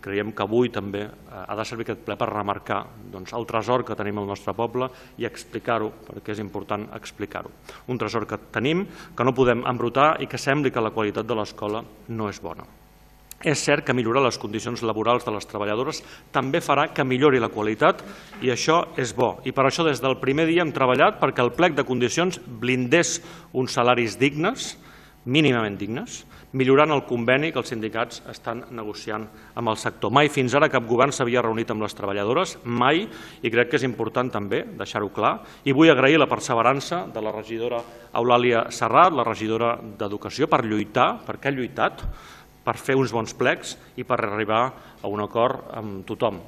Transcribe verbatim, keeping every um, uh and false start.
Creiem que avui també ha de servir aquest ple per remarcar el tresor que tenim al nostre poble i explicar-ho, perquè és important explicar-ho. Un tresor que tenim, que no podem embrutar i que sembli que la qualitat de l'escola no és bona. És cert que millorar les condicions laborals de les treballadores també farà que millori la qualitat i això és bo. I per això des del primer dia hem treballat perquè el plec de condicions blindés uns salaris dignes, mínimament dignes, millorant el conveni que els sindicats estan negociant amb el sector. Mai fins ara cap govern s'havia reunit amb les treballadores, mai, i crec que és important també deixar-ho clar. I vull agrair la perseverança de la regidora Eulàlia Serrat, la regidora d'Educació, per lluitar, perquè ha lluitat, per fer uns bons plecs i per arribar a un acord amb tothom.